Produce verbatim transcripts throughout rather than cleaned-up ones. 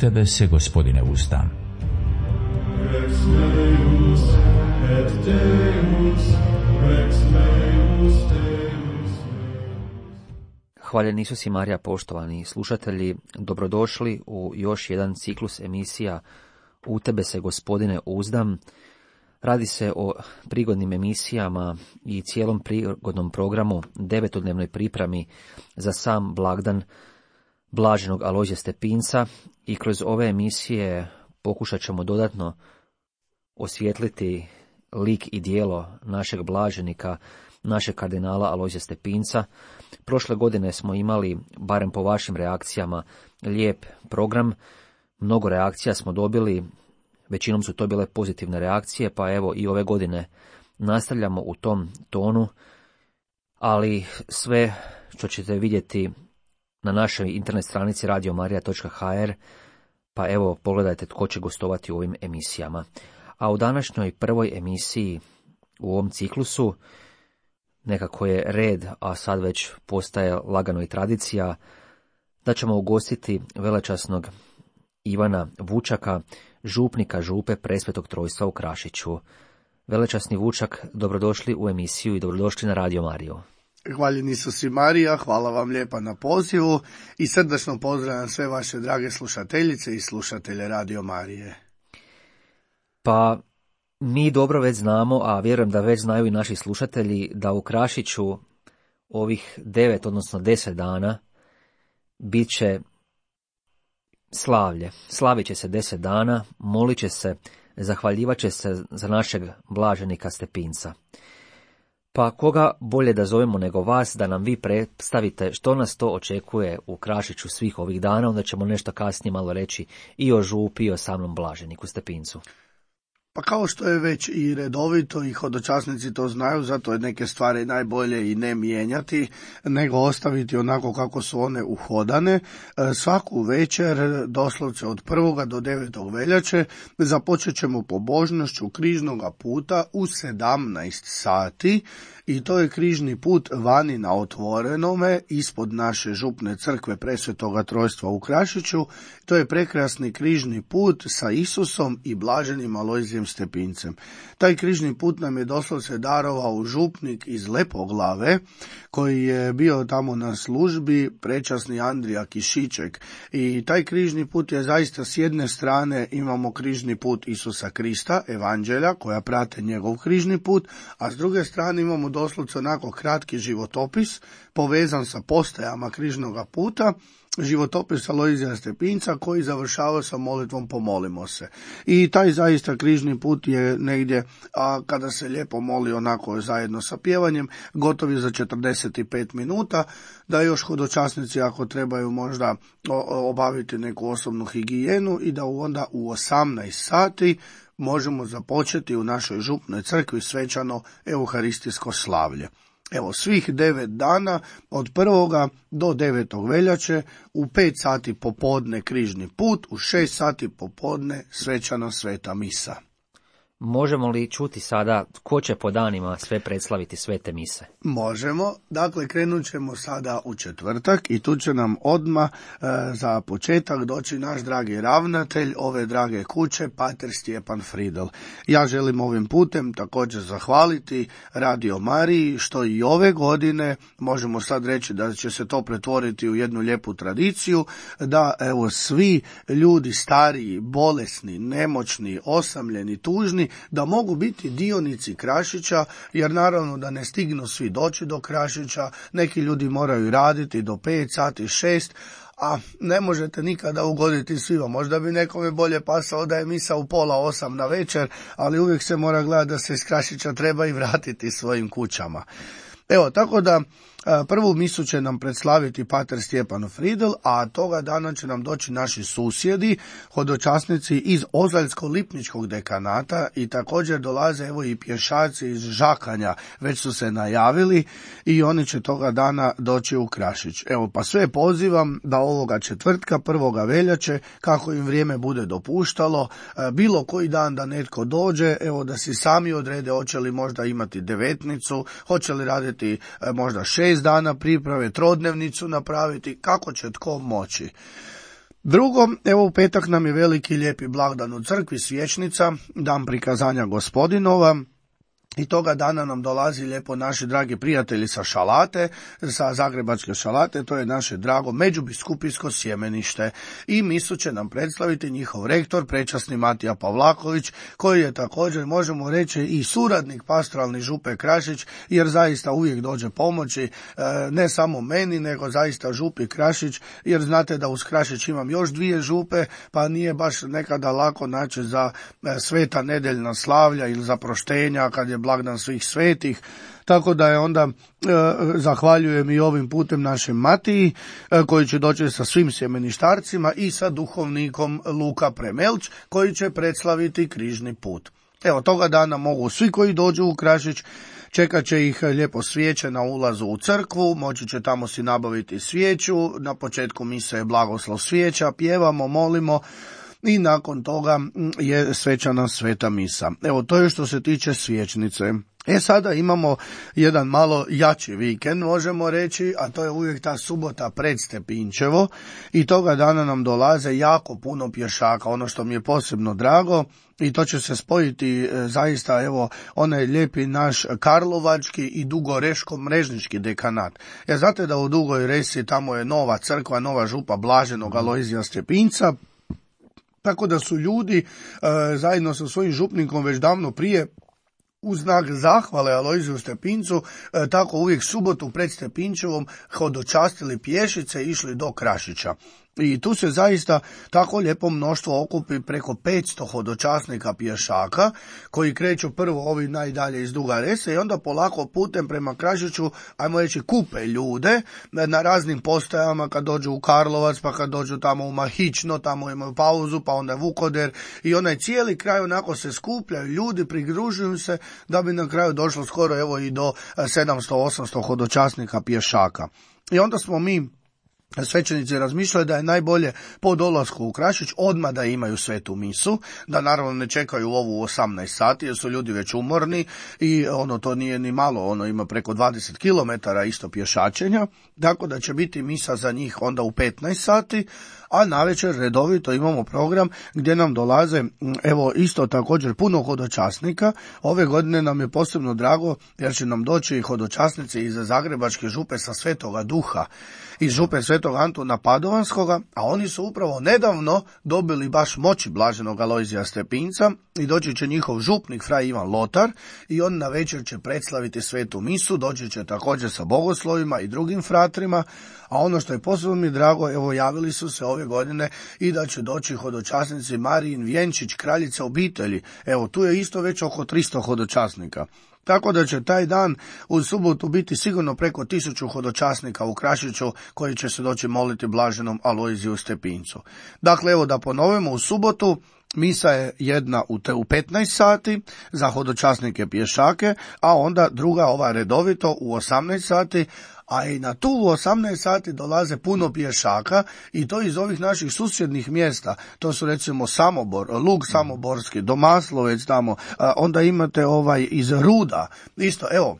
tebe se, Gospodine, uzdam. Rex meus et Deus, Rex meus Deus. Hvaljen Isus i Marija, poštovani slušatelji, dobrodošli u još jedan ciklus emisija U tebe se, Gospodine, uzdam. Radi se o prigodnim emisijama i cijelom prigodnom programu, devetodnevnoj pripremi za sam blagdan blaženog Alojzija Stepinca, i kroz ove emisije pokušat ćemo dodatno osvijetliti lik i djelo našeg blaženika, našeg kardinala Alojzija Stepinca. Prošle godine smo imali, barem po vašim reakcijama, lijep program. Mnogo reakcija smo dobili, većinom su to bile pozitivne reakcije, pa evo i ove godine nastavljamo u tom tonu, ali sve što ćete vidjeti na našoj internet stranici radio marija točka ha er, pa evo pogledajte tko će gostovati u ovim emisijama. A u današnjoj prvoj emisiji u ovom ciklusu, nekako je red, a sad već postaje lagano i tradicija, da ćemo ugostiti velečasnog Ivana Vučaka, župnika župe Presvetog Trojstva u Krašiću. Velečasni Vučak, dobrodošli u emisiju i dobrodošli na Radio Mariju. Hvaljen Isus i Marija, hvala vam lijepa na pozivu i srdačno pozdravljam sve vaše drage slušateljice i slušatelje Radio Marije. Pa mi dobro već znamo, a vjerujem da već znaju i naši slušatelji, da u Krašiću ovih devet, odnosno deset dana bit će slavlje. Slavit će se deset dana, molit će se, zahvaljivat će se za našeg blaženika Stepinca. Pa koga bolje da zovemo nego vas, da nam vi predstavite što nas to očekuje u Krašiću svih ovih dana, onda ćemo nešto kasnije malo reći i o župi i o samom blaženiku Stepincu. Pa kao što je već i redovito i hodočasnici to znaju, zato je neke stvari najbolje i ne mijenjati, nego ostaviti onako kako su one uhodane. Svaku večer, doslovce od prvoga do devetog veljače, započet ćemo pobožnošću križnoga puta u sedamnaest sati, i to je križni put vani na otvorenome, ispod naše župne crkve Presvetoga Trojstva u Krašiću. To je prekrasni križni put sa Isusom i blaženim Alojzijem Stepincem. Taj križni put nam je doslovce darovao župnik iz Lepoglave, koji je bio tamo na službi, prečasni Andrija Kišiček. I taj križni put je zaista, s jedne strane imamo križni put Isusa Krista, evanđelja, koja prate njegov križni put, a s druge strane imamo doslovce onako kratki životopis, povezan sa postajama križnoga puta, životopis Alojzija Stepinca, koji završava sa molitvom Pomolimo se. I taj zaista križni put je negdje, a kada se lijepo moli onako zajedno sa pjevanjem, gotovi za četrdeset pet minuta, da još hodočasnici ako trebaju možda obaviti neku osobnu higijenu i da onda u osamnaest sati možemo započeti u našoj župnoj crkvi svečano euharistijsko slavlje. Evo, svih devet dana, od prvoga do devetog veljače, u pet sati popodne križni put, u šest sati popodne svečano sveta misa. Možemo li čuti sada ko će po danima sve predslaviti svete mise? Možemo. Dakle, krenut ćemo sada u četvrtak i tu će nam odmah e, za početak doći naš dragi ravnatelj ove drage kuće, pater Stjepan Fridl. Ja želim ovim putem također zahvaliti Radio Mariji što i ove godine, možemo sad reći da će se to pretvoriti u jednu lijepu tradiciju, da evo svi ljudi stariji, bolesni, nemoćni, osamljeni, tužni, da mogu biti dionici Krašića, jer naravno da ne stignu svi doći do Krašića, neki ljudi moraju raditi do pet sati, šest, a ne možete nikada ugoditi svima. Možda bi nekome bolje pasalo da je misa u pola osam na večer, ali uvijek se mora gledati da se iz Krašića treba i vratiti svojim kućama. Evo, tako da prvu misu će nam predslaviti pater Stjepan Fridl, a toga dana će nam doći naši susjedi, hodočasnici iz Ozaljsko-Lipničkog dekanata, i također dolaze evo i pješaci iz Žakanja, već su se najavili i oni će toga dana doći u Krašić. Evo, pa sve pozivam da ovoga četvrtka, prvoga veljače, kako im vrijeme bude dopuštalo, bilo koji dan da netko dođe, evo da si sami odrede hoće li možda imati devetnicu, hoće li raditi možda šest dana priprave, trodnevnicu napraviti, kako će tko moći. Drugo, evo u petak nam je veliki lijepi blagdan u crkvi, svječnica, dan prikazanja Gospodinova. I toga dana nam dolazi lijepo naši dragi prijatelji sa Šalate, sa Zagrebačke Šalate, to je naše drago međubiskupijsko sjemenište. I misu će nam predstaviti njihov rektor, prečasni Matija Pavlaković, koji je također, možemo reći, i suradnik pastoralni župe Krašić, jer zaista uvijek dođe pomoći, ne samo meni, nego zaista župi Krašić, jer znate da uz Krašić imam još dvije župe, pa nije baš nekada lako naći za sveta nedeljna slavlja ili za proštenja, kad je blagdan svih svetih, tako da je onda e, zahvaljujem i ovim putem našem Matiji, e, koji će doći sa svim sjemeništarcima i sa duhovnikom Luka Premelč, koji će predslaviti križni put. Evo, toga dana mogu svi koji dođu u Krašić, čekat će ih lijepo svijeće na ulazu u crkvu, moći će tamo si nabaviti svijeću, na početku mise je blagoslov svijeća, pjevamo, molimo, i nakon toga je svečana sveta misa. Evo, to je što se tiče svječnice. E sada imamo jedan malo jači vikend, možemo reći, a to je uvijek ta subota pred Stepinčevo, i toga dana nam dolaze jako puno pješaka, ono što mi je posebno drago, i to će se spojiti e, zaista, evo, onaj lijepi naš karlovački i dugoreško-mrežnički dekanat. Jer znate da u Dugoj Resi tamo je nova crkva, nova župa Blaženog Alojzija Stepinca, tako da su ljudi e, zajedno sa svojim župnikom već davno prije, u znak zahvale Alojziju Stepincu, e, tako uvijek subotu pred Stepinčevom hodočastili pješice i išli do Krašića. I tu se zaista tako lijepo mnoštvo okupi, preko petsto hodočasnika pješaka, koji kreću prvo ovi najdalje iz Duga Rese i onda polako putem prema Krašiću, ajmo reći, kupe ljude na raznim postajama, kad dođu u Karlovac, pa kad dođu tamo u Mahično, tamo imaju pauzu, pa onda Vukoder, i onaj cijeli kraj onako se skupljaju, ljudi pridružuju se, da bi na kraju došlo skoro evo i do sedamsto osamsto hodočasnika pješaka. I onda smo mi svećenici razmišljaju da je najbolje po dolasku u Krašić odmah da imaju svetu misu, da naravno ne čekaju ovu u osamnaest sati, jer su ljudi već umorni i ono, to nije ni malo, ono ima preko dvadeset kilometara isto pješačenja, tako da će biti misa za njih onda u petnaest sati, a navečer redovito imamo program gdje nam dolaze, evo, isto također puno hodočasnika. Ove godine nam je posebno drago jer će nam doći hodočasnici iz Zagrebačke župe sa Svetoga Duha, iz župe Svetog Antuna Padovanskoga, a oni su upravo nedavno dobili baš moći Blaženog Alojzija Stepinca i doći će njihov župnik Fraj Ivan Lotar i on na večer će predslaviti svetu misu, doći će također sa bogoslovima i drugim fratrima, a ono što je posebno mi drago, evo, javili su se ove godine i da će doći hodočasnici Marijin Vjenčić, kraljica obitelji. Evo, tu je isto već oko tristo hodočasnika. Tako da će taj dan u subotu biti sigurno preko tisuću hodočasnika u Krašiću koji će se doći moliti Blaženom Alojziju Stepincu. Dakle, evo da ponovimo, u subotu misa je jedna u, te, u petnaest sati za hodočasnike pješake, a onda druga, ova redovito, u osamnaest sati, a i na tu u osamnaest sati dolaze puno pješaka i to iz ovih naših susjednih mjesta. To su recimo Samobor, Lug Samoborski, Domaslovec tamo, a onda imate ovaj iz Ruda. Isto, evo,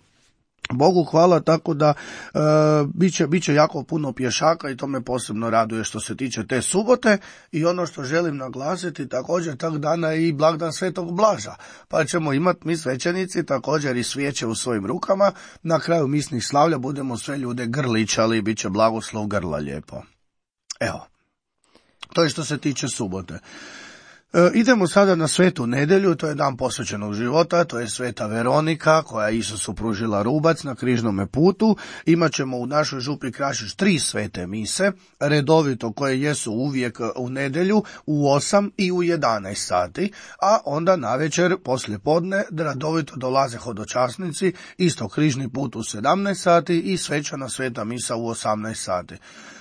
Bogu hvala, tako da e, bit će, bit će jako puno pješaka i to me posebno raduje što se tiče te subote. I ono što želim naglasiti, također tog dana je i blagdan Svetog Blaža, pa ćemo imati mi svećenici također i svijeće u svojim rukama. Na kraju misnih slavlja budemo sve ljude grličali, bit će blagoslov grla lijepo. Evo, to je što se tiče subote. E, idemo sada na svetu nedjelju, to je dan posvećenog života, to je sveta Veronika koja je Isusu pružila rubac na križnome putu. Imaćemo u našoj župi Krašić tri svete mise, redovito, koje jesu uvijek u nedjelju u osam i u jedanaest sati, a onda navečer poslije podne redovito dolaze hodočasnici, isto križni put u sedamnaest sati i svečana sveta misa u osamnaest sati.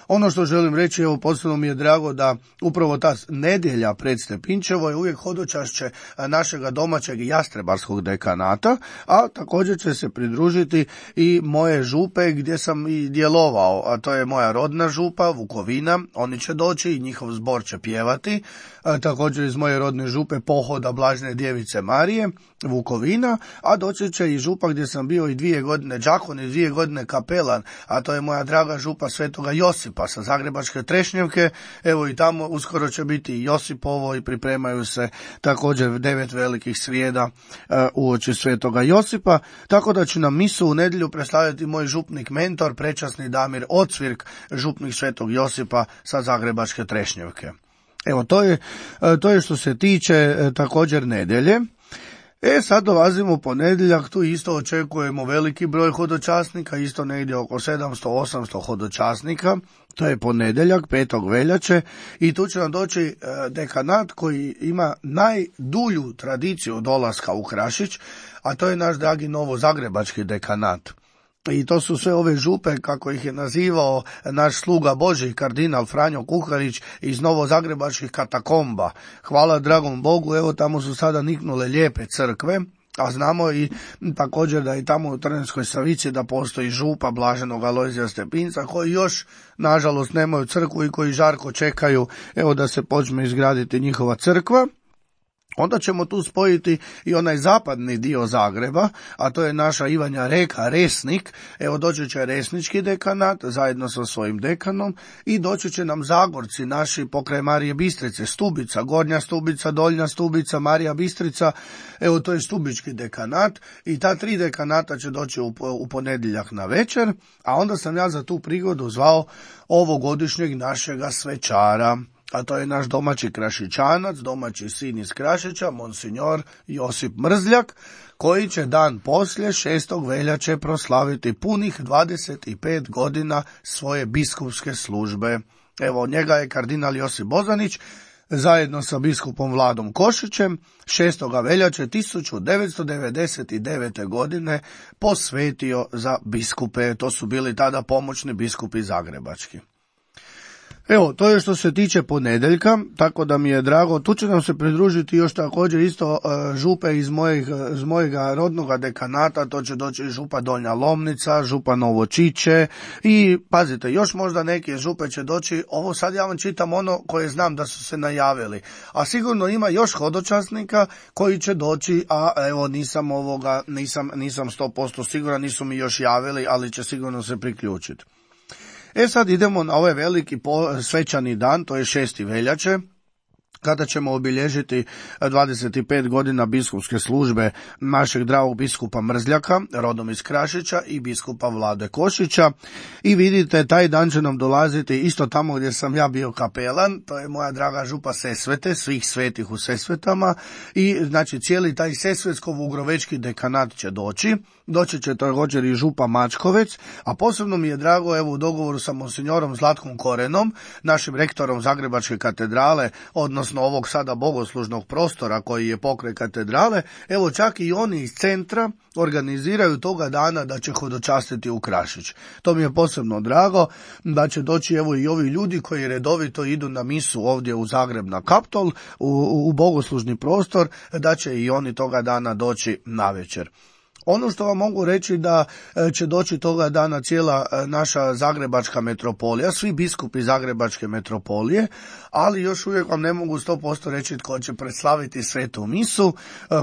Ono što želim reći, evo, posebno mi je drago da upravo ta nedjelja pred Stepinčevo je uvijek hodočašće našega domaćeg jastrebarskog dekanata, a također će se pridružiti i moje župe gdje sam i djelovao, a to je moja rodna župa Vukovina, oni će doći i njihov zbor će pjevati, a također iz moje rodne župe Pohoda Blažene Djevice Marije Vukovina, a doći će i župa gdje sam bio i dvije godine đakon i dvije godine kapelan, a to je moja draga župa Svetoga Josipa sa Zagrebačke Trešnjevke. Evo i tamo uskoro će biti i Josipovo i pripremaju se također devet velikih srijeda e, uoči Svetoga Josipa, tako da će nam misu u nedjelju predstavljati moj župnik mentor, prečasni Damir Ocvirk, župnik Svetog Josipa sa Zagrebačke Trešnjevke. Evo, to je, to je što se tiče e, također nedjelje. E, sad dolazimo u ponedjeljak, tu isto očekujemo veliki broj hodočasnika, isto negdje oko sedamsto osamsto hodočasnika. To je ponedjeljak, petog veljače, i tu će nam doći e, dekanat koji ima najdulju tradiciju dolaska u Krašić, a to je naš dragi novozagrebački dekanat. I to su sve ove župe, kako ih je nazivao naš sluga Božji, kardinal Franjo Kuharić iz novozagrebačkih katakomba. Hvala dragom Bogu, evo tamo su sada niknule lijepe crkve, a znamo i također da i tamo u Trnavskoj Savici da postoji župa Blaženog Alojzija Stepinca, koji još nažalost nemaju crkvu i koji žarko čekaju evo da se počne izgraditi njihova crkva. Onda ćemo tu spojiti i onaj zapadni dio Zagreba, a to je naša Ivanja Reka, Resnik. Evo doći će Resnički dekanat zajedno sa svojim dekanom i doći će nam Zagorci naši pokraj Marije Bistrice, Stubica, Gornja Stubica, Donja Stubica, Marija Bistrica. Evo to je Stubički dekanat i ta tri dekanata će doći u, u ponedjeljak na večer, a onda sam ja za tu prigodu zvao ovogodišnjeg našega svečara. A to je naš domaći Krašićanac, domaći sin iz Krašića, monsignor Josip Mrzljak, koji će dan poslije šestog veljače proslaviti punih dvadeset pet godina svoje biskupske službe. Evo, od njega je kardinal Josip Bozanić zajedno sa biskupom Vladom Košićem šestog veljače tisuću devetsto devedeset devete. godine posvetio za biskupe. To su bili tada pomoćni biskupi zagrebački. Evo, to je što se tiče ponedjeljka, tako da mi je drago. Tu će nam se pridružiti još također isto uh, župe iz mojeg, iz mojega rodnoga dekanata, to će doći župa Donja Lomnica, župa Novočiće i pazite, još možda neke župe će doći. Ovo sad ja vam čitam ono koje znam da su se najavili, a sigurno ima još hodočasnika koji će doći, a evo nisam ovoga, nisam, nisam sto posto siguran, nisu mi još javili, ali će sigurno se priključiti. E sad idemo na ovaj veliki svečani dan, to je šesti veljače, kada ćemo obilježiti dvadeset pet godina biskupske službe našeg dragog biskupa Mrzljaka, rodom iz Krašića, i biskupa Vlade Košića. I vidite, taj dan će nam dolaziti isto tamo gdje sam ja bio kapelan, to je moja draga župa Sesvete, svih svetih u Sesvetama, i znači cijeli taj Sesvetsko-Vugrovečki dekanat će doći. Doći će također i župa Mačkovec, a posebno mi je drago, evo u dogovoru sa monsignorom Zlatkom Korenom, našim rektorom Zagrebačke katedrale, odnosno ovog sada bogoslužnog prostora koji je pokraj katedrale, evo čak i oni iz centra organiziraju toga dana da će hodočastiti u Krašić. To mi je posebno drago, da će doći evo i ovi ljudi koji redovito idu na misu ovdje u Zagreb na Kaptol, u, u bogoslužni prostor, da će i oni toga dana doći navečer. Ono što vam mogu reći da će doći toga dana cijela naša zagrebačka metropolija, svi biskupi zagrebačke metropolije, ali još uvijek vam ne mogu sto posto reći tko će predslaviti svetu misu.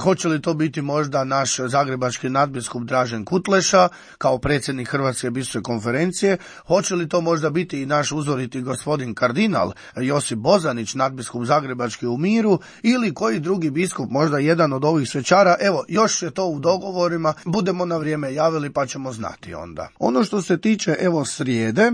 Hoće li to biti možda naš zagrebački nadbiskup Dražen Kutleša kao predsjednik Hrvatske biskupske konferencije, hoće li to možda biti i naš uzoriti gospodin kardinal Josip Bozanić, nadbiskup zagrebački u miru, ili koji drugi biskup, možda jedan od ovih svečara. Evo, još je to u dogovorima, budemo na vrijeme javili pa ćemo znati onda. Ono što se tiče evo srijede, e,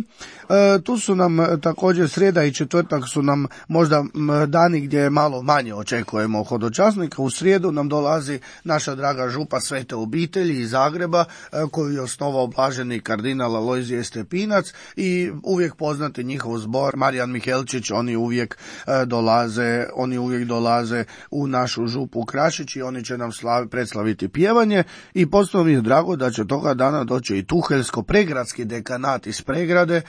tu su nam također srijeda i četvrtak su nam možda dani gdje malo manje očekujemo hodočasnika. U srijedu nam dolazi naša draga župa Svete obitelji iz Zagreba, e, koju je osnovao blaženi kardinal Alojzije Stepinac, i uvijek poznati njihov zbor Marijan Mihelčić, oni uvijek e, dolaze, oni uvijek dolaze u našu župu Krašić i oni će nam slavi, predslaviti pjevanje. I posebno mi je drago da će toga dana doći i Tuheljsko-Pregradski dekanat iz Pregrade,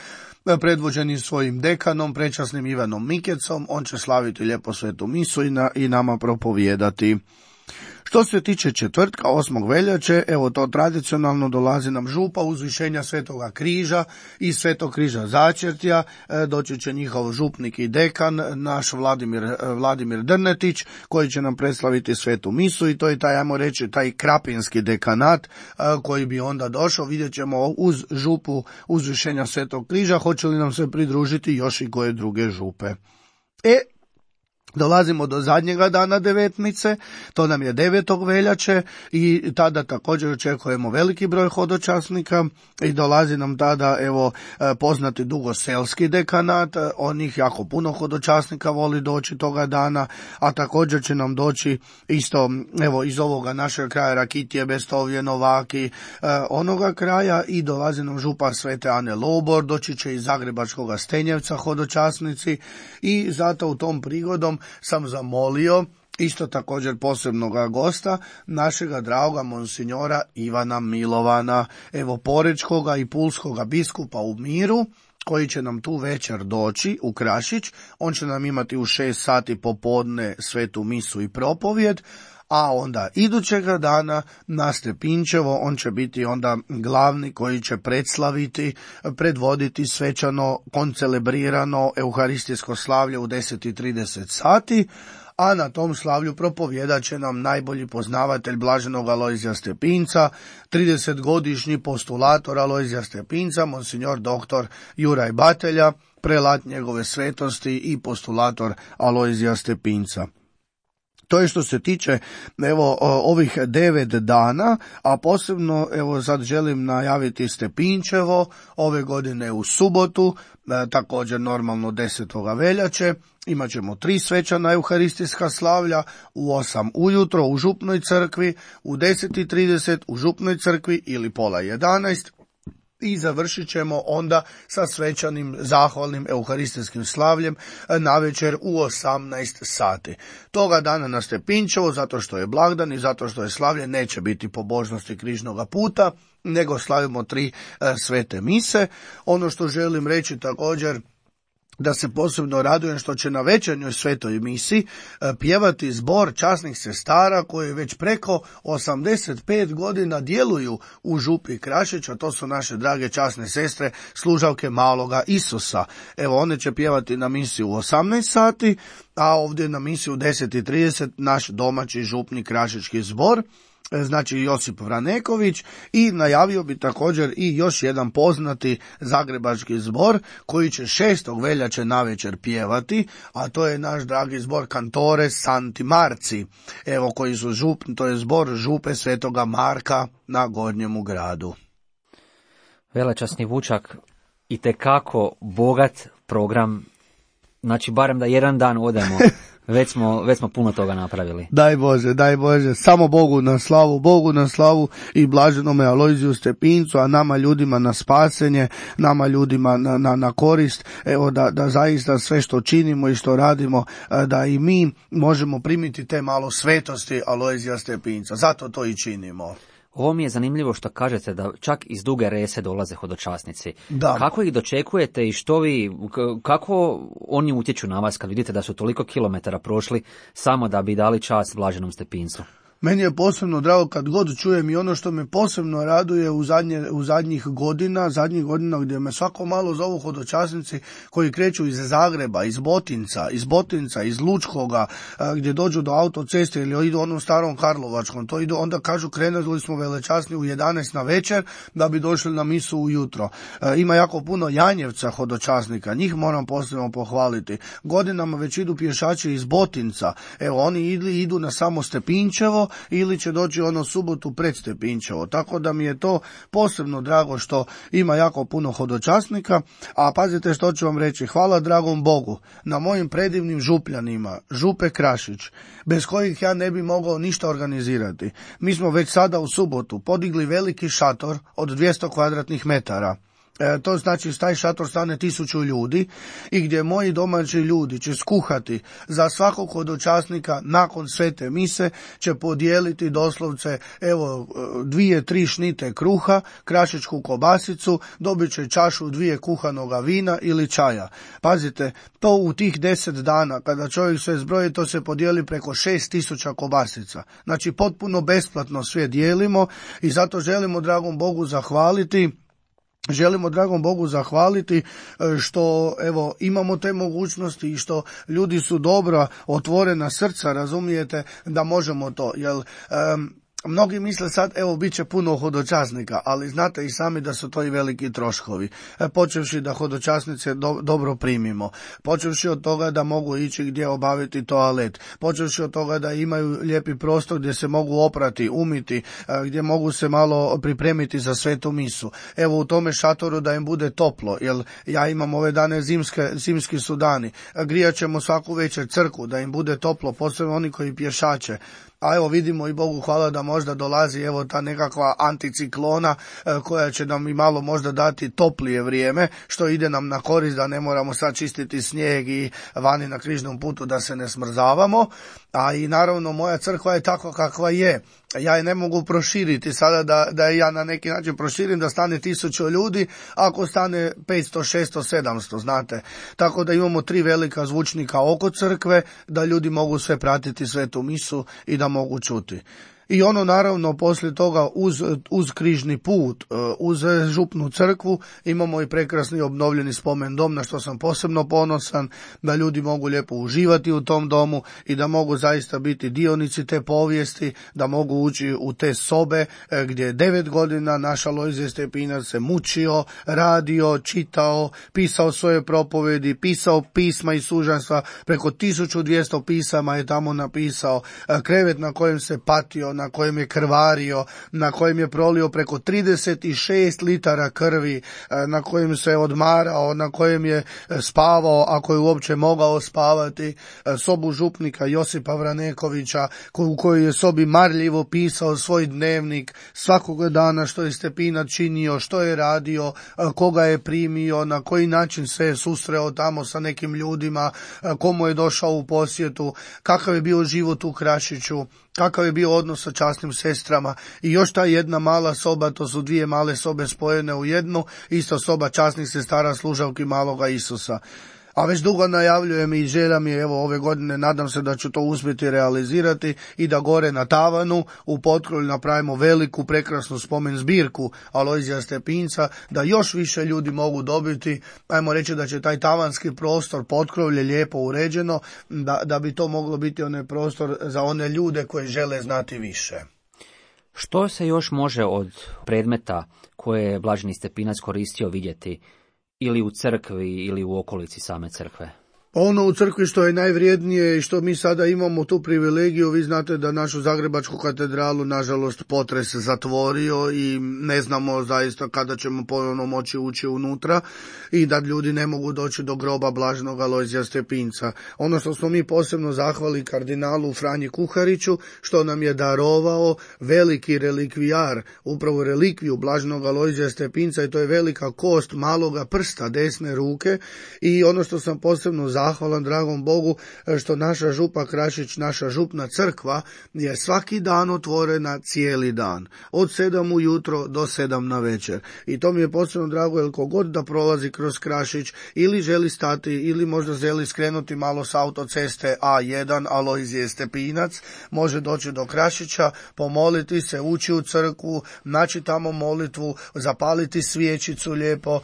predvođeni svojim dekanom, prečasnim Ivanom Mikecom. On će slaviti lijepo svetu misu i, na, i nama propovijedati. Što se tiče četvrtka, osmog veljače, evo to tradicionalno dolazi nam župa uzvišenja Svetoga križa i Svetog križa začetja, doći će njihov župnik i dekan, naš Vladimir, Vladimir Drnetić, koji će nam predstaviti svetu misu i to je taj, ajmo reći, taj krapinski dekanat koji bi onda došao. Vidjet ćemo uz župu uzvišenja Svetog križa, hoće li nam se pridružiti još i koje druge župe. E, dolazimo do zadnjega dana devetnice, to nam je devetog veljače i tada također očekujemo veliki broj hodočasnika i dolazi nam tada evo poznati dugoselski dekanat, onih jako puno hodočasnika voli doći toga dana, a također će nam doći isto evo iz ovoga našeg kraja Rakitije, Bestovje, Novaki, onoga kraja i dolazi nam župa Svete Ane Lobor, doći će iz Zagrebačkoga Stenjevca hodočasnici i zato u tom prigodom sam zamolio isto također posebnoga gosta, našega dragoga monsinjora Ivana Milovana, evo porečkoga i pulskoga biskupa u miru, koji će nam tu večer doći u Krašić. On će nam imati u šest sati popodne svetu misu i propovjed, a onda idućega dana na Stepinčevo on će biti onda glavni koji će predslaviti, predvoditi svečano koncelebrirano euharistijsko slavlje u deset i trideset sati, a na tom slavlju propovijedat će nam najbolji poznavatelj blaženog Alojzija Stepinca, tridesetgodišnji postulator Alojzija Stepinca, monsignor doktor Juraj Batelja, prelat njegove svetosti i postulator Alojzija Stepinca. To je što se tiče evo ovih devet dana, a posebno evo sad želim najaviti Stepinčevo ove godine u subotu, e, također normalno desetog veljače. Imat ćemo tri svečana euharistijska slavlja, u osam ujutro u župnoj crkvi, u deset i trideset u župnoj crkvi ili pola jedanaest. I završit ćemo onda sa svečanim zahvalnim euharistijskim slavljem navečer u osamnaest sati. Toga dana na Stepinčevo, zato što je blagdan i zato što je slavlje, neće biti pobožnosti križnoga puta, nego slavimo tri e, svete mise. Ono što želim reći također, da se posebno radujem što će na večernjoj svetoj misi pjevati zbor časnih sestara koji već preko osamdeset pet godina djeluju u župi Krašić, a to su naše drage časne sestre, služavke maloga Isusa. Evo, one će pjevati na misi u osamnaest sati, a ovdje na misi u deset i trideset naš domaći župni krašički zbor, znači Josip Vraneković, i najavio bi također i još jedan poznati zagrebački zbor koji će šestog veljače navečer pjevati, a to je naš dragi zbor Cantore Santi Marci, evo koji su žup, to je zbor župe Svetoga Marka na Gornjemu gradu. Velečasni Vučak, itekako bogat program, znači barem da jedan dan odemo. Već smo, već smo puno toga napravili. Daj Bože, daj Bože, samo Bogu na slavu, Bogu na slavu i blaženome Alojziju Stepincu, a nama ljudima na spasenje, nama ljudima na, na, na korist, evo da, da zaista sve što činimo i što radimo, da i mi možemo primiti te malo svetosti Alojzija Stepinca, zato to i činimo. Ovo mi je zanimljivo što kažete da čak iz Duge Rese dolaze hodočasnici. Da. Kako ih dočekujete i što vi, kako oni utječu na vas kad vidite da su toliko kilometara prošli samo da bi dali čast blaženom Stepincu? Meni je posebno drago kad god čujem i ono što me posebno raduje u, zadnje, u zadnjih godina, zadnjih godina gdje me svako malo zovu hodočasnici koji kreću iz Zagreba, iz Botinca, iz Botinca, iz Lučkoga, gdje dođu do autoceste ili idu onom starom Karlovačkom, to idu, onda kažu krenuli smo velečasni u jedanaest na večer da bi došli na misu ujutro. Ima jako puno Janjevca hodočasnika, njih moram posebno pohvaliti. Godinama već idu pješači iz Botinca, evo oni ili idu na samo Stepinčevo ili će doći ono subotu pred Stepinčevo. Tako da mi je to posebno drago što ima jako puno hodočasnika, a pazite što ću vam reći, hvala dragom Bogu na mojim predivnim župljanima, župe Krašić, bez kojih ja ne bi mogao ništa organizirati. Mi smo već sada u subotu podigli veliki šator od dvjesto kvadratnih metara. E, to znači taj šator stane tisuću ljudi i gdje moji domaći ljudi će skuhati za svakog hodočasnika nakon svete mise, će podijeliti doslovce evo dvije, tri šnite kruha, krašičku kobasicu, dobit će čašu dvije kuhanoga vina ili čaja. Pazite, to u tih deset dana kada čovjek sve zbroji, to se podijeli preko šest tisuća kobasica. Znači potpuno besplatno sve dijelimo i zato želimo dragom Bogu zahvaliti Želimo dragom Bogu zahvaliti što evo imamo te mogućnosti i što ljudi su dobra, otvorena srca, razumijete, da možemo to, jer um, mnogi misle sad, evo, bit će puno hodočasnika, ali znate i sami da su to i veliki troškovi. E, počevši da hodočasnice do, dobro primimo, počevši od toga da mogu ići gdje obaviti toalet, počevši od toga da imaju lijepi prostor gdje se mogu oprati, umiti, e, gdje mogu se malo pripremiti za svetu misu. Evo u tome šatoru da im bude toplo, jer ja imam ove dane zimske, zimski su dani. Grijat ćemo svaku večer crkvu da im bude toplo, posebno oni koji pješače. A evo vidimo i Bogu hvala da možda dolazi evo ta nekakva anticiklona e, koja će nam i malo možda dati toplije vrijeme, što ide nam na korist da ne moramo sad čistiti snijeg i vani na križnom putu da se ne smrzavamo. A i naravno moja crkva je tako kakva je. Ja je ne mogu proširiti sada da, da ja na neki način proširim da stane tisuću ljudi, ako stane petsto, šesto, sedamsto, znate. Tako da imamo tri velika zvučnika oko crkve, da ljudi mogu sve pratiti svetu misu i da mogu čuti. I ono naravno poslije toga uz, uz križni put, uz župnu crkvu imamo i prekrasni obnovljeni spomen dom na što sam posebno ponosan, da ljudi mogu lijepo uživati u tom domu i da mogu zaista biti dionici te povijesti, da mogu ući u te sobe gdje je devet godina naš Alojzije Stepinac se mučio, radio, čitao, pisao svoje propovedi, pisao pisma i sužanstva, preko tisuću dvjesto pisama je tamo napisao, krevet na kojem se patio, na kojem je krvario, na kojem je prolio preko trideset šest litara krvi, na kojem se odmarao, na kojem je spavao, ako je uopće mogao spavati, sobu župnika Josipa Vranekovića, u kojoj je sobi marljivo pisao svoj dnevnik, svakoga dana što je Stepinac činio, što je radio, koga je primio, na koji način se je susreo tamo sa nekim ljudima, komu je došao u posjetu, kakav je bio život u Krašiću, kakav je bio odnos sa časnim sestrama i još ta jedna mala soba, to su dvije male sobe spojene u jednu, isto soba časnih sestara služavki maloga Isusa. A već dugo najavljujem i želja mi je, evo ove godine nadam se da ću to uspjeti realizirati i da gore na tavanu u Potkrolju napravimo veliku prekrasnu spomen zbirku Alojzija Stepinca, da još više ljudi mogu dobiti, ajmo reći da će taj tavanski prostor Potkrolje lijepo uređeno, da, da bi to moglo biti onaj prostor za one ljude koji žele znati više. Što se još može od predmeta koje je blaženi Stepinac koristio vidjeti ili u crkvi ili u okolici same crkve? Ono u crkvi što je najvrijednije i što mi sada imamo tu privilegiju, vi znate da našu Zagrebačku katedralu nažalost potres zatvorio i ne znamo zaista kada ćemo ponovno moći ući unutra i da ljudi ne mogu doći do groba blaženog Alojzija Stepinca. Ono što smo mi posebno zahvali kardinalu Franji Kuhariću što nam je darovao veliki relikvijar, upravo relikviju blaženog Alojzija Stepinca i to je velika kost maloga prsta desne ruke i ono što sam posebno zahvalan dragom Bogu što naša župa Krašić, naša župna crkva je svaki dan otvorena cijeli dan. Od sedam ujutro do sedam na večer. I to mi je posebno drago jer kogod da prolazi kroz Krašić ili želi stati ili možda želi skrenuti malo s autoceste A jedan Alojzije Stepinac, može doći do Krašića, pomoliti se, ući u crkvu, naći tamo molitvu, zapaliti svijećicu lijepo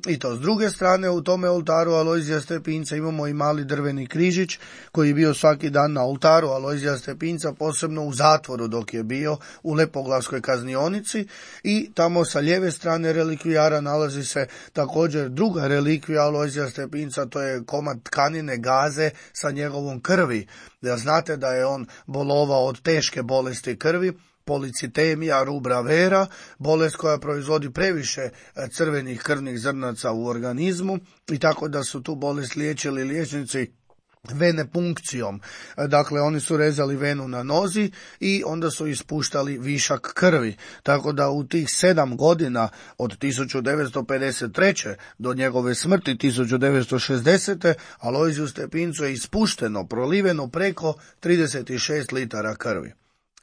i to. S druge strane u tome oltaru Alojzija Stepinca imamo i mali drveni križić koji je bio svaki dan na oltaru Alojzija Stepinca, posebno u zatvoru dok je bio u Lepoglavskoj kaznionici i tamo sa lijeve strane relikvijara nalazi se također druga relikvija Alojzija Stepinca, to je komad tkanine gaze sa njegovom krvi. Da znate da je on bolovao od teške bolesti krvi, policitemija rubra vera, bolest koja proizvodi previše crvenih krvnih zrnaca u organizmu i tako da su tu bolest liječili liječnici venepunkcijom. Dakle, oni su rezali venu na nozi i onda su ispuštali višak krvi. Tako da u tih sedam godina od tisuću devetsto pedeset treće do njegove smrti tisuću devetsto šezdesete Alojziju Stepincu je ispušteno, proliveno preko trideset šest litara krvi.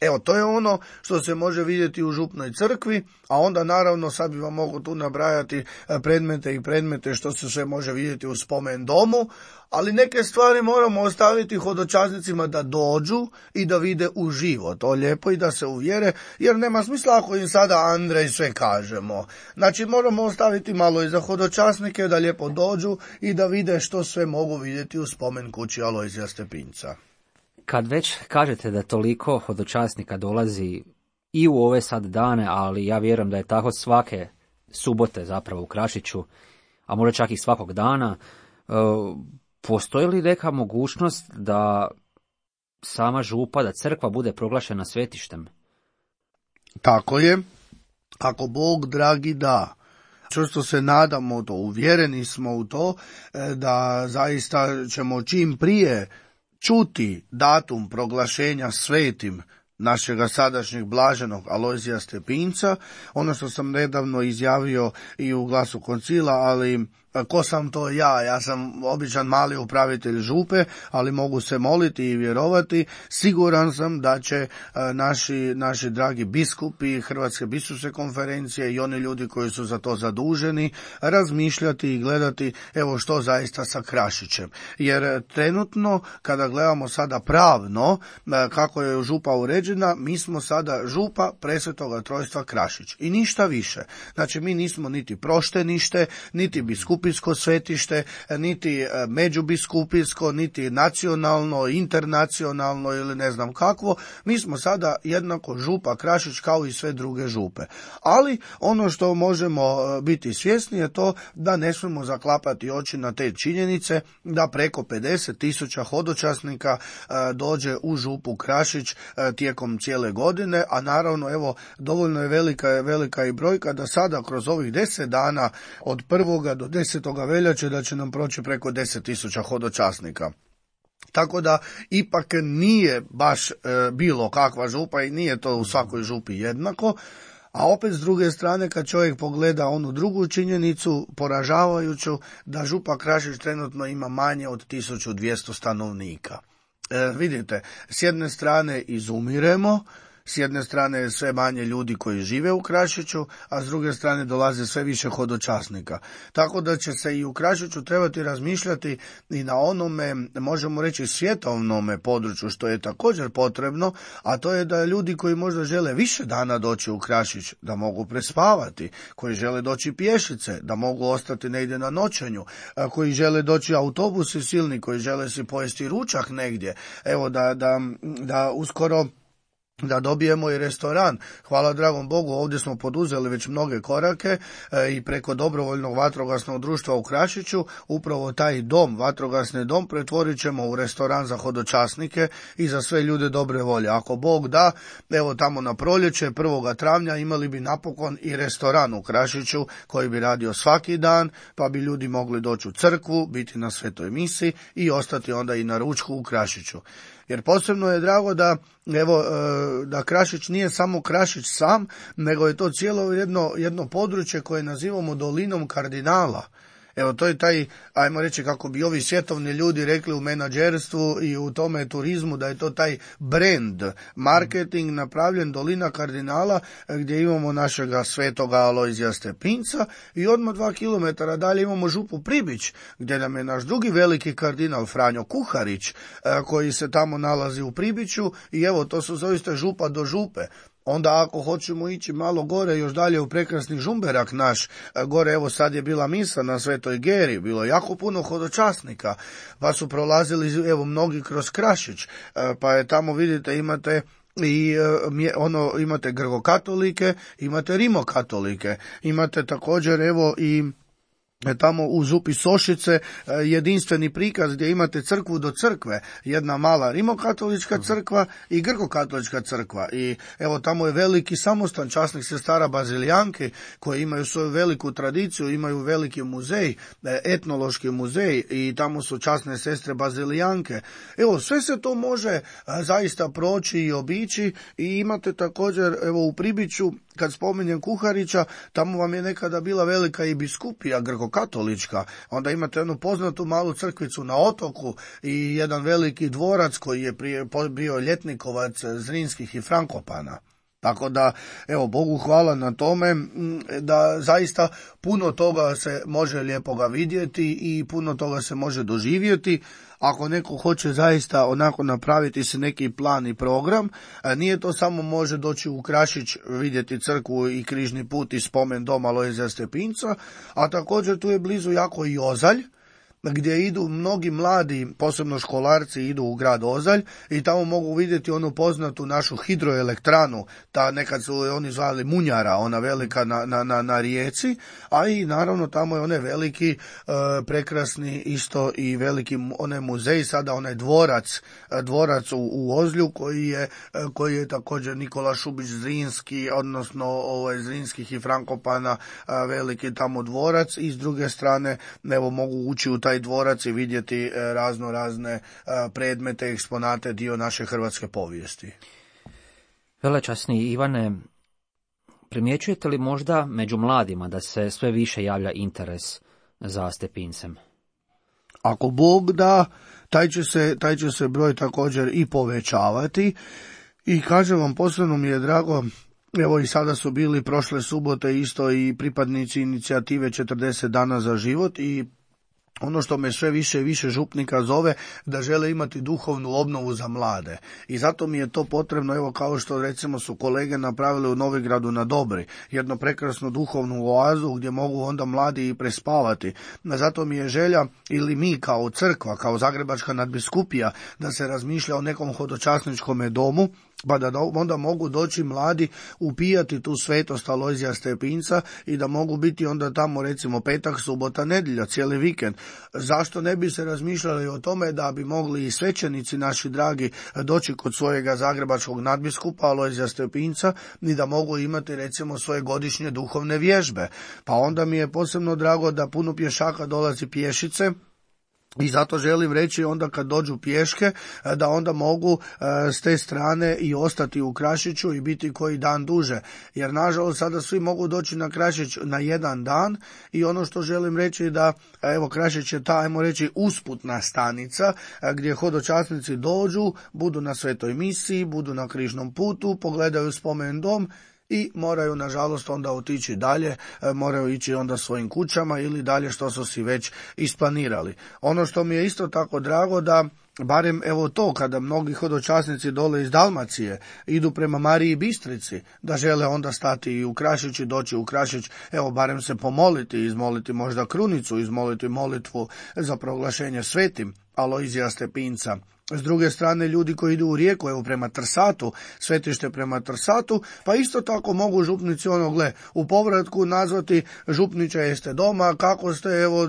Evo, to je ono što se može vidjeti u župnoj crkvi, a onda naravno sad bi vam mogu tu nabrajati predmete i predmete što se sve može vidjeti u spomen domu, ali neke stvari moramo ostaviti hodočasnicima da dođu i da vide uživo to lijepo i da se uvjere, jer nema smisla ako im sada Andrej sve kažemo. Znači moramo ostaviti malo i za hodočasnike da lijepo dođu i da vide što sve mogu vidjeti u spomen kući Alojzija Stepinca. Kad već kažete da toliko hodočasnika dolazi i u ove sad dane, ali ja vjerujem da je tako svake subote zapravo u Krašiću, a možda čak i svakog dana, postoji li neka mogućnost da sama župa, da crkva bude proglašena svetištem? Tako je, ako Bog dragi da. Čvrsto se nadamo to, uvjereni smo u to da zaista ćemo čim prije čuti datum proglašenja svetim našega sadašnjeg blaženog Alojzija Stepinca, ono što sam nedavno izjavio i u Glasu koncila, ali ko sam to ja? Ja sam običan mali upravitelj župe, ali mogu se moliti i vjerovati. Siguran sam da će naši, naši dragi biskupi Hrvatske biskupske konferencije i oni ljudi koji su za to zaduženi razmišljati i gledati evo što zaista sa Krašićem. Jer trenutno kada gledamo sada pravno kako je župa uređena, mi smo sada župa Presvetoga Trojstva Krašić i ništa više. Znači mi nismo niti proštenište, niti biskup svetište, niti međubiskupijsko, niti nacionalno, internacionalno ili ne znam kakvo. Mi smo sada jednako župa Krašić kao i sve druge župe. Ali ono što možemo biti svjesni je to da ne smijemo zaklapati oči na te činjenice da preko pedeset tisuća hodočasnika dođe u župu Krašić tijekom cijele godine, a naravno evo dovoljno je velika, velika i brojka da sada kroz ovih deset dana od prvoga do desetog veljače da će nam proći preko deset tisuća hodočasnika. Tako da ipak nije baš e, bilo kakva župa i nije to u svakoj župi jednako, a opet s druge strane kad čovjek pogleda onu drugu činjenicu poražavajuću da župa Krašić trenutno ima manje od tisuću dvjesto stanovnika. E, vidite, s jedne strane izumiremo, s jedne strane je sve manje ljudi koji žive u Krašiću, a s druge strane dolaze sve više hodočasnika. Tako da će se i u Krašiću trebati razmišljati i na onome, možemo reći, svjetovnome području, što je također potrebno, a to je da ljudi koji možda žele više dana doći u Krašić, da mogu prespavati, koji žele doći pješice, da mogu ostati negdje na noćenju, koji žele doći autobusi silni, koji žele si pojesti ručak negdje, evo da, da, da uskoro da dobijemo i restoran. Hvala dragom Bogu, ovdje smo poduzeli već mnoge korake e, i preko dobrovoljnog vatrogasnog društva u Krašiću upravo taj dom, vatrogasni dom, pretvorit ćemo u restoran za hodočasnike i za sve ljude dobre volje. Ako Bog da, evo tamo na proljeće prvog travnja imali bi napokon i restoran u Krašiću koji bi radio svaki dan, pa bi ljudi mogli doći u crkvu, biti na svetoj misi i ostati onda i na ručku u Krašiću. Jer posebno je drago da, evo, da Krašić nije samo Krašić sam, nego je to cijelo jedno, jedno područje koje nazivamo dolinom kardinala. Evo, to je taj, ajmo reći kako bi ovi svjetovni ljudi rekli u menadžerstvu i u tome turizmu, da je to taj brand, marketing napravljen dolina kardinala gdje imamo našega svetoga Alojzija Stepinca i odmah dva kilometara dalje imamo župu Pribić gdje nam je naš drugi veliki kardinal Franjo Kuharić koji se tamo nalazi u Pribiću i evo to su zaista župa do župe. Onda ako hoćemo ići malo gore, još dalje u prekrasni Žumberak naš, gore evo sad je bila misa na Svetoj Geri, bilo je jako puno hodočasnika, pa su prolazili evo mnogi kroz Krašić, pa je tamo vidite imate i ono imate grkokatolike, imate rimokatolike, imate također evo i tamo u župi Sošice jedinstveni prikaz gdje imate crkvu do crkve, jedna mala rimokatolička crkva i grkokatolička crkva. I evo tamo je veliki samostan časnih sestara Bazilijanke koji imaju svoju veliku tradiciju, imaju veliki muzej, etnološki muzej i tamo su časne sestre Bazilijanke. Evo sve se to može zaista proći i obići i imate također evo u Pribiću, kad spominjem Kuharića, tamo vam je nekada bila velika i biskupija grkokatolička, onda imate jednu poznatu malu crkvicu na otoku i jedan veliki dvorac koji je prije bio ljetnikovac Zrinskih i Frankopana. Tako da, evo, Bogu hvala na tome da zaista puno toga se može lijepoga vidjeti i puno toga se može doživjeti. Ako neko hoće zaista onako napraviti se neki plan i program, nije to samo može doći u Krašić, vidjeti crkvu i križni put i spomen dom Alojzija Stepinca, a također tu je blizu jako i Ozalj, gdje idu mnogi mladi, posebno školarci, idu u grad Ozalj i tamo mogu vidjeti onu poznatu našu hidroelektranu, ta nekad su oni zvali Munjara, ona velika na, na, na, na rijeci, a i naravno tamo je onaj veliki, e, prekrasni isto i veliki onaj muzej, sada onaj dvorac, dvorac u, u Ozlju koji je, koji je također Nikola Šubić Zrinski, odnosno ovaj, Zrinskih i Frankopana, veliki tamo dvorac i s druge strane evo mogu ući u taj dvorac i vidjeti razno razne predmete, eksponate, dio naše hrvatske povijesti. Velečasni Ivane, primjećujete li možda među mladima da se sve više javlja interes za Stepincem? Ako Bog da, taj će se, taj će se broj također i povećavati i kažem vam, posebno mi je drago. Evo i sada su bili prošle subote isto i pripadnici inicijative četrdeset dana za život i ono što me sve više i više župnika zove da žele imati duhovnu obnovu za mlade. I zato mi je to potrebno, evo kao što recimo su kolege napravili u Novigradu na Dobri, jednu prekrasnu duhovnu oazu gdje mogu onda mladi i prespavati. Zato mi je želja, ili mi kao crkva, kao Zagrebačka nadbiskupija, da se razmišlja o nekom hodočasničkom domu, pa da onda mogu doći mladi upijati tu svetost Alojzija Stepinca i da mogu biti onda tamo recimo petak, subota, nedjelja, cijeli vikend. Zašto ne bi se razmišljali o tome da bi mogli i svećenici naši dragi doći kod svojega zagrebačkog nadbiskupa Alojzija Stepinca i da mogu imati recimo svoje godišnje duhovne vježbe. Pa onda mi je posebno drago da puno pješaka dolazi pješice. I zato želim reći onda kad dođu pješke da onda mogu s te strane i ostati u Krašiću i biti koji dan duže. Jer nažalost sada svi mogu doći na Krašić na jedan dan i ono što želim reći da evo Krašić je ta, ajmo reći, usputna stanica gdje hodočasnici dođu, budu na svetoj misiji, budu na križnom putu, pogledaju spomen dom i moraju nažalost onda otići dalje, moraju ići onda svojim kućama ili dalje što su si već isplanirali. Ono što mi je isto tako drago da barem evo to kada mnogi hodočasnici dole iz Dalmacije idu prema Mariji Bistrici, da žele onda stati i u Krašić i doći u Krašić, evo barem se pomoliti, izmoliti možda krunicu, izmoliti molitvu za proglašenje svetim Alojzija Stepinca. S druge strane, ljudi koji idu u Rijeku, evo prema Trsatu, svetište prema Trsatu, pa isto tako mogu župnici ono, gle, u povratku nazvati župniče jeste doma, kako ste, evo,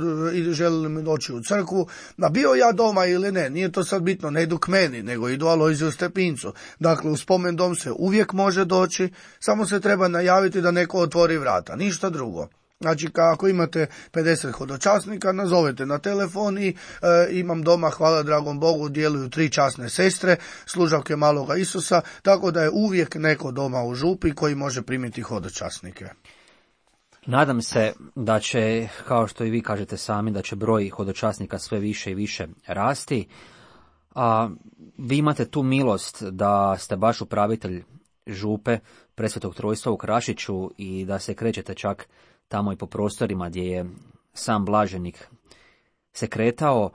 želili mi doći u crkvu, a bio ja doma ili ne, nije to sad bitno, ne idu k meni, nego idu Alojziju Stepincu. Dakle, u spomen dom se uvijek može doći, samo se treba najaviti da neko otvori vrata, ništa drugo. Znači, ako imate pedeset hodočasnika, nazovete na telefon i e, imam doma, hvala dragom Bogu, djeluju tri časne sestre, služavke maloga Isusa, tako da je uvijek neko doma u župi koji može primiti hodočasnike. Nadam se da će, kao što i vi kažete sami, da će broj hodočasnika sve više i više rasti, a vi imate tu milost da ste baš upravitelj župe Presvetog Trojstva u Krašiću i da se krećete čak tamo i po prostorima gdje je sam blaženik se kretao.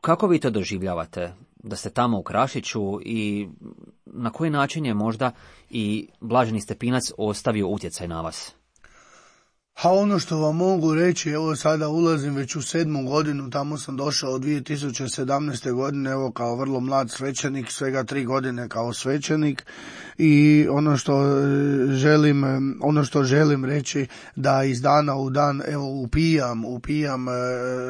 Kako vi to doživljavate, da ste tamo u Krašiću i na koji način je možda i blaženi Stepinac ostavio utjecaj na vas? A ono što vam mogu reći, evo sada ulazim već u sedmu godinu, tamo sam došao dvije tisuće sedamnaeste. godine, evo kao vrlo mlad svećenik, svega tri godine kao svećenik, i ono što želim, ono što želim reći da iz dana u dan evo upijam, upijam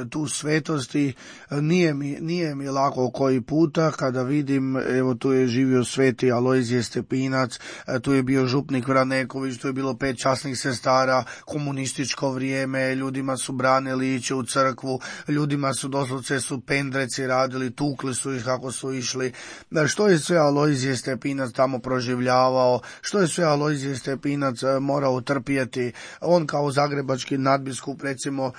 tu svetost i nije mi, nije mi lako koji puta kada vidim, evo tu je živio sveti Alojzije Stepinac, tu je bio župnik Vraneković, tu je bilo pet časnih sestara, komunističko vrijeme, ljudima su branili ići u crkvu, ljudima su doslovce su pendreci radili, tukli su ih kako su išli. Što je sve Alojzije Stepinac tamo proživljavao, što je sve Alojzije Stepinac morao trpjeti. On kao zagrebački nadbiskup recimo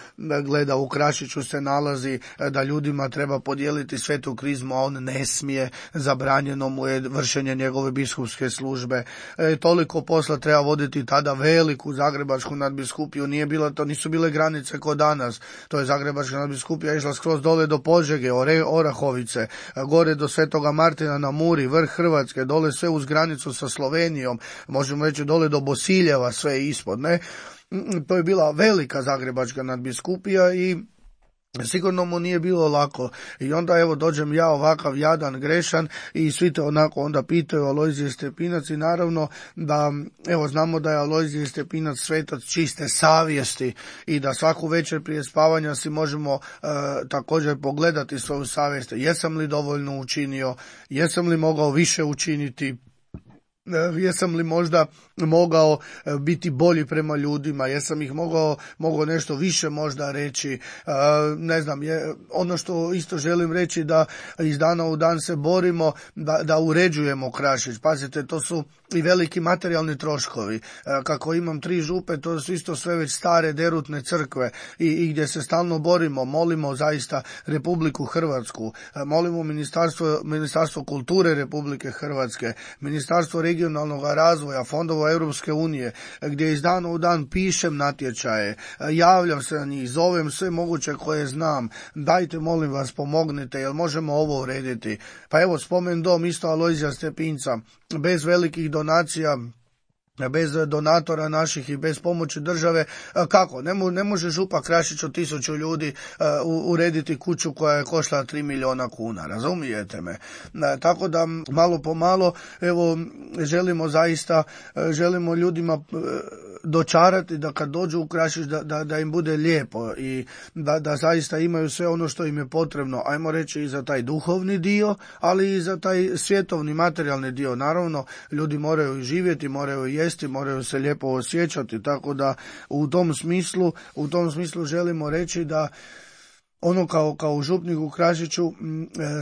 gleda u Krašiću se nalazi da ljudima treba podijeliti svetu krizmu, a on ne smije, zabranjeno mu je vršenje njegove biskupske službe. E, toliko posla treba voditi tada veliku zagrebačku nadbiskupiju, nije bilo, to nisu bile granice ko danas, to je zagrebačka nadbiskupija išla skroz dole do Požege, Ore, Orahovice, gore do Svetoga Martina na Muri, vrh Hrvatske, dole sve uz granicu sa Slovenijom, možemo reći dole do Bosiljeva, sve ispod, ne? To je bila velika zagrebačka nadbiskupija i sigurno mu nije bilo lako. I onda evo dođem ja ovakav jadan, grešan, i svi te onako onda pitaju Alojzije Stepinac, i naravno da evo znamo da je Alojzije Stepinac svetac čiste savjesti i da svaku večer prije spavanja si možemo e, također pogledati svoju savjest. Jesam li dovoljno učinio, jesam li mogao više učiniti, jesam li možda mogao biti bolji prema ljudima, jesam ih mogao, mogao nešto više možda reći, ne znam, je, ono što isto želim reći da iz dana u dan se borimo da, da uređujemo Krašić. Pazite, to su i veliki materijalni troškovi. Kako imam tri župe, to su isto sve već stare derutne crkve i, i gdje se stalno borimo, molimo zaista Republiku Hrvatsku, molimo Ministarstvo, Ministarstvo kulture Republike Hrvatske, Ministarstvo regionalnog razvoja, fondova Europske unije, gdje iz dana u dan pišem natječaje, javljam se na njih, zovem sve moguće koje znam, dajte molim vas pomognite, jel možemo ovo urediti. Pa evo spomen dom isto Alojzija Stepinca, bez velikih donacija, bez donatora naših i bez pomoći države, kako? Ne, mo, ne može župa Krašić od tisuću ljudi uh, urediti kuću koja je koštala tri milijuna kuna, razumijete me? Uh, tako da malo po malo, evo, želimo zaista, uh, želimo ljudima uh, dočarati da kad dođu u Krašić da, da, da im bude lijepo i da, da zaista imaju sve ono što im je potrebno, ajmo reći i za taj duhovni dio, ali i za taj svjetovni, materijalni dio. Naravno, ljudi moraju živjeti, moraju jesti, moraju se lijepo osjećati, tako da u tom smislu, u tom smislu želimo reći da ono kao, kao župnik u Krašiću,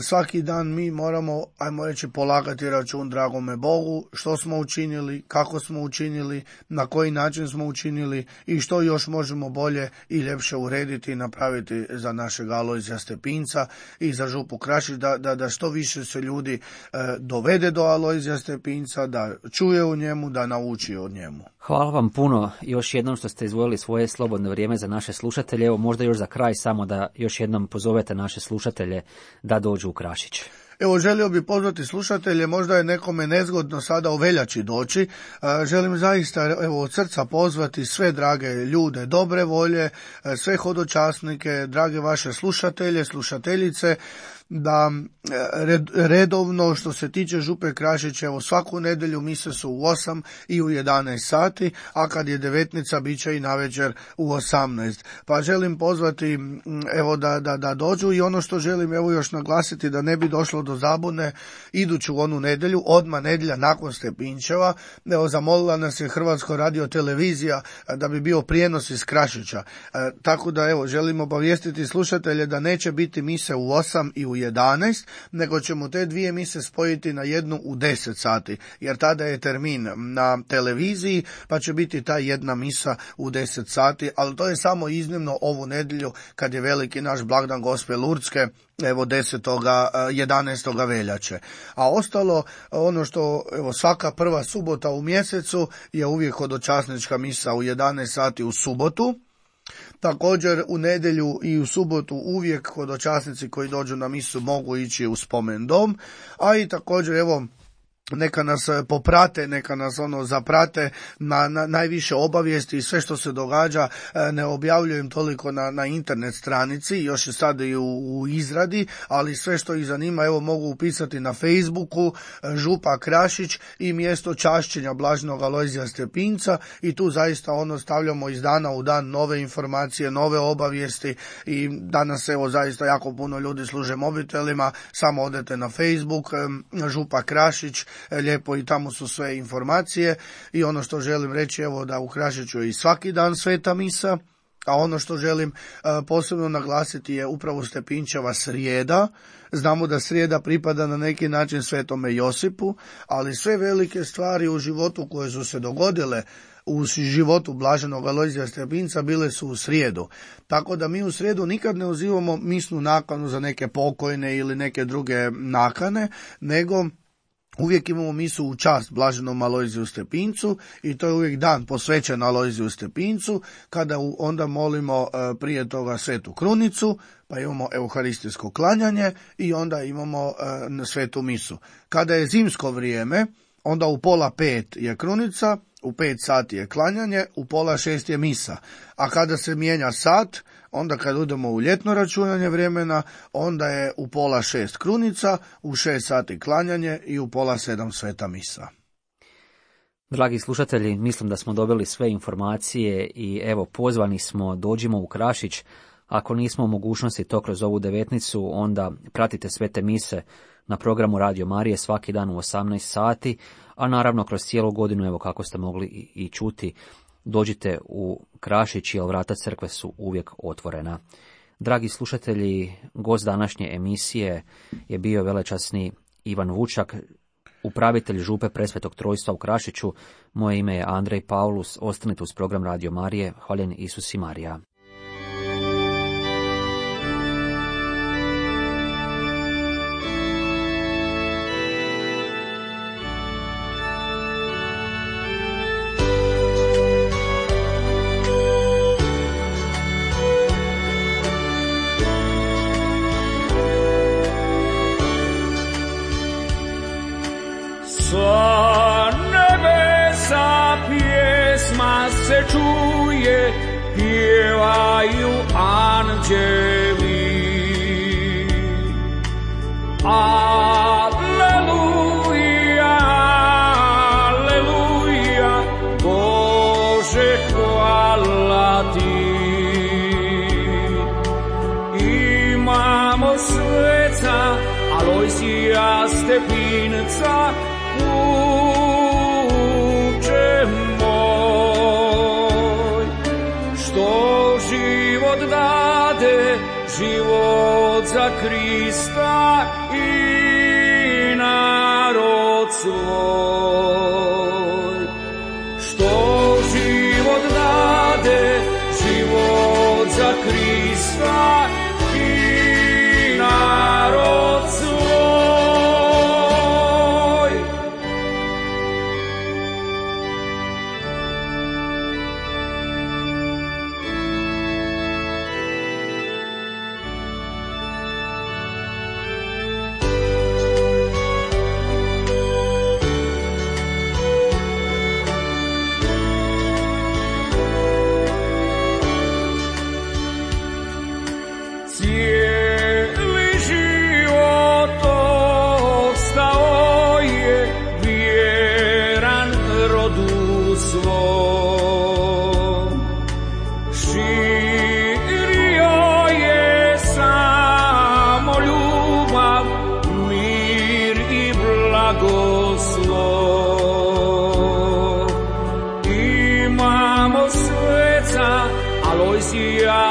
svaki dan mi moramo, ajmo reći, polagati račun dragome Bogu, što smo učinili, kako smo učinili, na koji način smo učinili i što još možemo bolje i ljepše urediti i napraviti za našeg Alojzija Stepinca i za župu Krašić, da, da, da što više se ljudi e, dovede do Alojzija Stepinca, da čuje u njemu, da nauči od njemu. Hvala vam puno još jednom što ste izdvojili svoje slobodno vrijeme za naše slušatelje. Evo možda još za kraj samo da još jednom pozovete naše slušatelje da dođu u Krašić. Evo, želio bi pozvati slušatelje, možda je nekome nezgodno sada u veljači doći, želim zaista evo, od srca pozvati sve drage ljude, dobre volje, sve hodočasnike, drage vaše slušatelje, slušateljice, da redovno što se tiče župe Krašić, evo svaku nedjelju mise su u osam i u jedanaest sati, a kad je devetnica bit će i navečer u osamnaest. Pa želim pozvati evo da, da, da dođu i ono što želim evo još naglasiti da ne bi došlo do zabune, iduću onu nedjelju, odmah nedjelja nakon Stepinčeva, evo zamolila nas je Hrvatska radiotelevizija da bi bio prijenos iz Krašića. E, tako da evo želim obavijestiti slušatelje da neće biti mise u osam i u jedanaest, nego ćemo te dvije mise spojiti na jednu u deset sati, jer tada je termin na televiziji, pa će biti ta jedna misa u deset sati, ali to je samo iznimno ovu nedjelju kad je veliki naš blagdan Gospe Lurdske, evo desetoga jedanaestoga veljače. A ostalo, ono što evo svaka prva subota u mjesecu je uvijek hodočasnička misa u jedanaest sati u subotu. Također u nedjelju i u subotu uvijek hodočasnici koji dođu na misu mogu ići u spomen dom, a i također evo neka nas poprate, neka nas ono zaprate na, na najviše obavijesti i sve što se događa. Ne objavljujem toliko na, na internet stranici, još je sad i u, u izradi, ali sve što ih zanima, evo mogu upisati na Facebooku Župa Krašić i mjesto čašćenja Blaženog Alojzija Stepinca i tu zaista ono stavljamo iz dana u dan nove informacije, nove obavijesti i danas evo zaista jako puno ljudi služe mobitelima, samo odete na Facebook Župa Krašić, lijepo i tamo su sve informacije i ono što želim reći evo da u Krašiću je i svaki dan sveta misa, a ono što želim uh, posebno naglasiti je upravo Stepinčeva srijeda. Znamo da srijeda pripada na neki način Svetome Josipu, ali sve velike stvari u životu koje su se dogodile u životu Blaženog Alojzija Stepinca bile su u srijedu. Tako da mi u srijedu nikad ne uzimamo misnu nakanu za neke pokojne ili neke druge nakane, nego uvijek imamo misu u čast Blaženom Alojziju Stepincu i to je uvijek dan posvećen Alojziju Stepincu, kada onda molimo prije toga Svetu krunicu, pa imamo euharistijsko klanjanje i onda imamo svetu misu. Kada je zimsko vrijeme, onda u pola pet je krunica, u pet sati je klanjanje, u pola šest je misa. A kada se mijenja sat, onda kad idemo u ljetno računanje vremena, onda je u pola šest krunica, u šest sati klanjanje i u pola sedam sveta misa. Dragi slušatelji, mislim da smo dobili sve informacije i evo pozvani smo, dođimo u Krašić. Ako nismo u mogućnosti to kroz ovu devetnicu, onda pratite svete mise na programu Radio Marije svaki dan u osamnaest sati, a naravno kroz cijelu godinu, evo kako ste mogli i, i čuti, dođite u Krašić jer vrata crkve su uvijek otvorena. Dragi slušatelji, gost današnje emisije je bio velečasni Ivan Vučak, upravitelj župe Presvetog Trojstva u Krašiću. Moje ime je Andrej Paulus, ostanite uz program Radio Marije. Hvaljen Isus i Marija. Se čuje, pjevaju anđeli. Aleluja, aleluja, Bože hvala ti. Imamo sveca Alojzija Stepinca, život za Krista i narod svoj. Što život dade, život za Krista i narod svoj.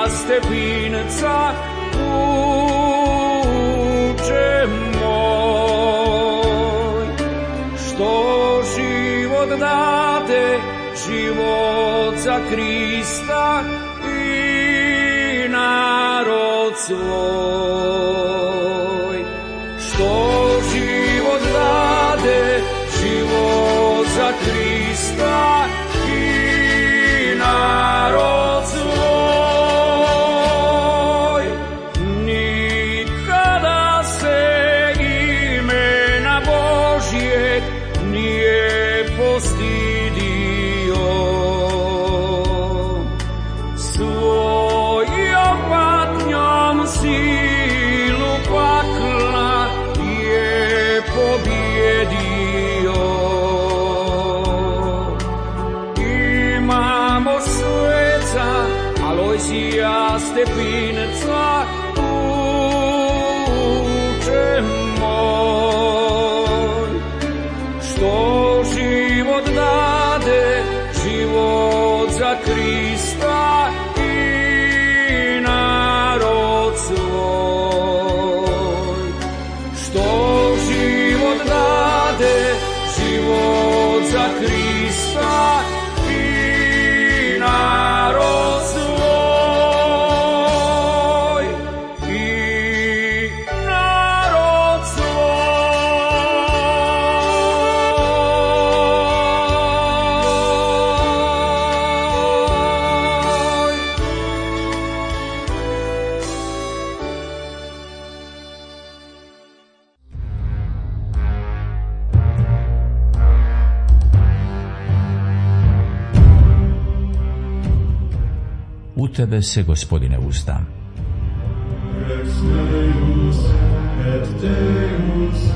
Stepinca, uče moj, što život dade, život za Krista i narod svoj. Što život dade, život za Krista i narod svoj. sija stepinca, uče moj. Što život dade, život za Krista i narod svoj. Što život dade, život za Krista i narod svoj. I narod svoj. U tebe se, Gospodine, uzdam. Rex Deus et Deus